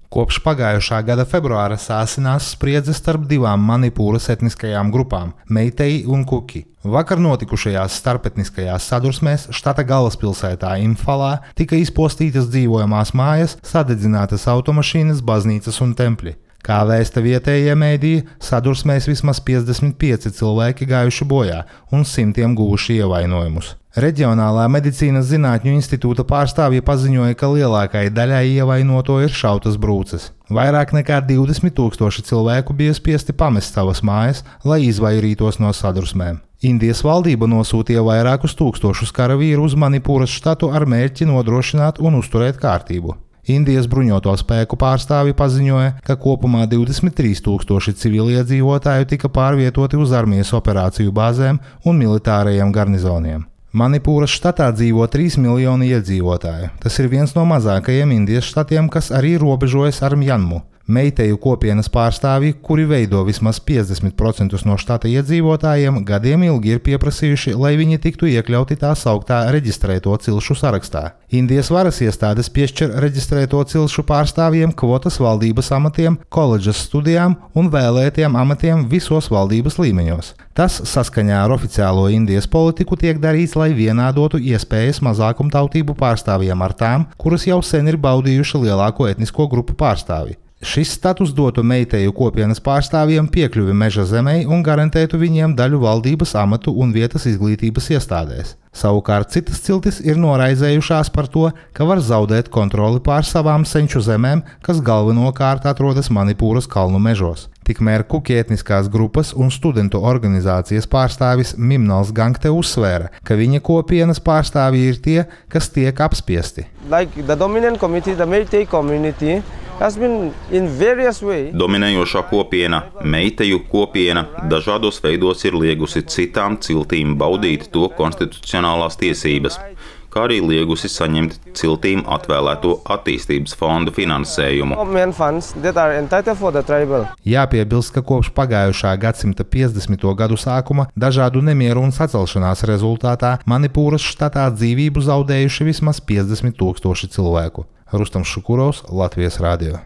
Kopš pagājušā gada februāra sāsinās spriedze starp divām Manipūras etniskajām grupām – Meitei un Kuki. Vakar notikušajās starpetniskajās sadursmēs štata galvaspilsētā Imfalā tika izpostītas dzīvojamās mājas, sadedzinātas automašīnas, baznīcas un tempļi. Kā vēsta vietējie mēdīji, sadursmēs vismaz 55 cilvēki gājuši bojā un simtiem guvuši ievainojumus. Reģionālā medicīnas zinātņu institūta pārstāvji paziņoja, ka lielākajai daļai ievainoto ir šautas brūces. Vairāk nekā 20,000 cilvēku bija spiesti pamest savas mājas, lai izvairītos no sadursmēm. Indijas valdība nosūtīja vairākus tūkstošus karavīru uz Manipūras štatu ar mērķi nodrošināt un uzturēt kārtību. Indijas bruņoto spēku pārstāvji paziņoja, ka kopumā 23,000 civiliedzīvotāju tika pārvietoti uz armijas operāciju bāzēm un militārajiem garnizoniem. Manipūras štatā dzīvo 3 miljoni iedzīvotāju. Tas ir viens no mazākajiem Indijas štatiem, kas arī robežojas ar Mjanmu. Meiteju kopienas pārstāvji, kuri veido vismaz 50% no štata iedzīvotājiem, gadiem ilgi ir pieprasījuši, lai viņi tiktu iekļauti tā sauktā reģistrēto cilšu sarakstā. Indijas varas iestādes piešķir reģistrēto cilšu pārstāvjiem kvotas valdības amatiem, koledžas studijām un vēlētiem amatiem visos valdības līmeņos. Tas saskaņā ar oficiālo Indijas politiku tiek darīts, lai vienādotu iespējas mazākumtautību pārstāvjiem ar tām, kuras jau sen ir baudījuši lielāko etnisko grupu pārstāvji. Šis status dotu meiteju kopienas pārstāvjiem piekļuvi meža zemei un garantētu viņiem daļu valdības amatu un vietas izglītības iestādēs. Savukārt citas ciltis ir noraizējušās par to, ka var zaudēt kontroli pār savām senču zemēm, kas galvenokārt atrodas Manipūras kalnu mežos. Tikmēr Kuki etniskās grupas un studentu organizācijas pārstāvis Mimnals Gangte uzsvēra, ka viņa kopienas pārstāvji ir tie, kas tiek apspiesti. Dominējošā kopiena, meiteju kopiena, dažādos veidos ir liegusi citām ciltīm baudīt to konstitucionālās tiesības, kā arī liegusi saņemt ciltīm atvēlēto attīstības fondu finansējumu. Jāpiebilst, ka kopš pagājušā gadsimta 50. gadu sākuma dažādu nemieru un sacelšanās rezultātā Manipūras štatā dzīvību zaudējuši vismaz 50,000 cilvēku. Rustams Šukurovs, Latvijas radio.